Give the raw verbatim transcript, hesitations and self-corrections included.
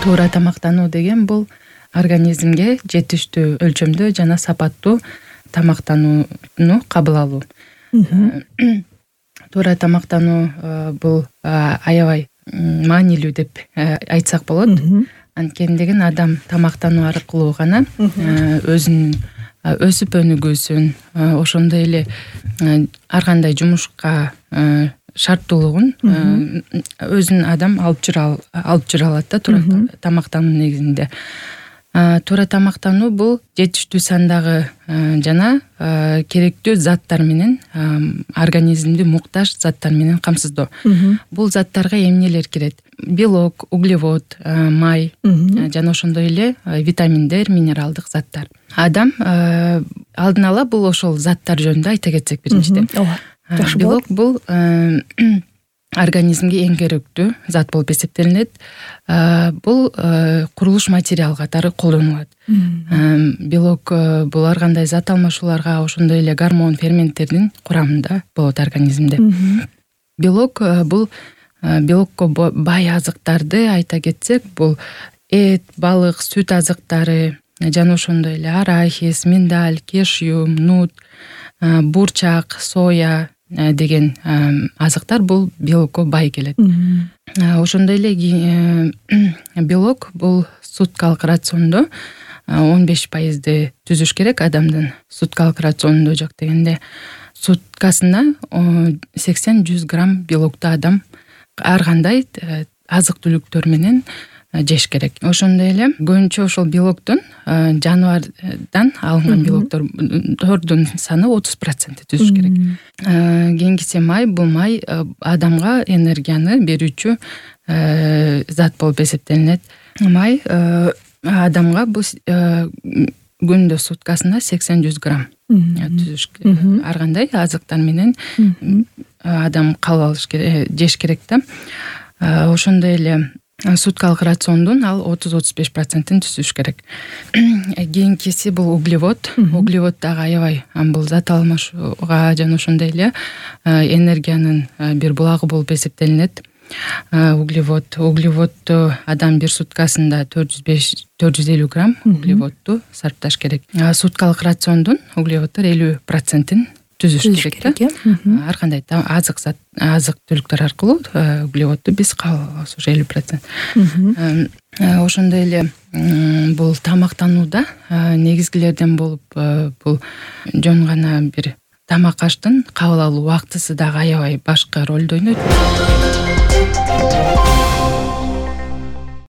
Туура тамактануу деген бул организмге жетиштүү өлчөмдө жана сапаттуу тамактанууну кабыл алуу. Туура тамактануу бул аябай маанилүү деп айтсак болот. Анткени деген адам тамактануу аркылуу гана өзүнүн өсүп өнүгүүсүн, ошондой эле ар кандай жумушка шарттуулугун өзүн адам алып жүрө алып жүрө алат да туура тамактануу негизинде. Туура тамактануу бул жетиштүү сандагы жана керектүү заттар менен, организмди муктаж заттар менен камсыздоо. Бул заттарга эмнелер кирет? Белок, углевод, май жана ошондой эле витаминдер, минералдык заттар. Адам алдын ала бул ошол заттар жөнүндө айта кетсек биринчиден. Жакшы Белок бул организмге эң керектүү зат болуп эсептелинет. Бул курулуш материал катары колдонулат. Белок бул ар кандай зат алмашууларга, ошондой эле гормон, ферменттердин курамында болот организмде. Белок бул белокко бай азыктарды айта кетсек, бул эт, балык, сүт азыктары жана ошондой эле арахис, миндаль, кешью, нут, бурчак, соя деген азыктар бул белокко бай келет. Ошондой эле белок бул суткалык рациондо он беш пайызды түзүш керек. Адамдын суткалык рационунда жок дегенде суткасына сексен жүз грамм белокту адам ар кандай азык түлүктөр менен жеш керек. Ошондой эле көбүнчө ошол белоктун жаныбардан алынган белоктордун саны отуз процент түзүш керек. Кийинкиси май. Бул май адамга энергияны берүүчү зат болуп эсептелинет. Май адамга бул күндө суткасына сексен жүз грамм түзүш керек. Ар кандай азыктар менен адам кабыл алыш керек, жеш керек да. Ошондой эле суткалык рациондун ал отуз отуз беш процентин түзүш керек. Кийинкиси бул углевод. Углевод дагы аябай бул зат алмашууга жана ошондой эле энергиянын бир булагы болуп эсептелинет. Углевод, углеводду адам бир суткасында төрт жүз беш төрт жүз элүү грамм углеводду сарпташ керек. Суткалык рациондун углеводдор элүү процентин түзүш керек да. Ар кандай азык зат, азык түлүктөр аркылуу углеводду биз кабыл алабыз, ошо элүү процент. Ошондой эле бул тамактанууда негизгилерден болуп бул жөн гана бир тамак аштын кабыл алуу убактысы дагы аябай башкы ролду ойнойт.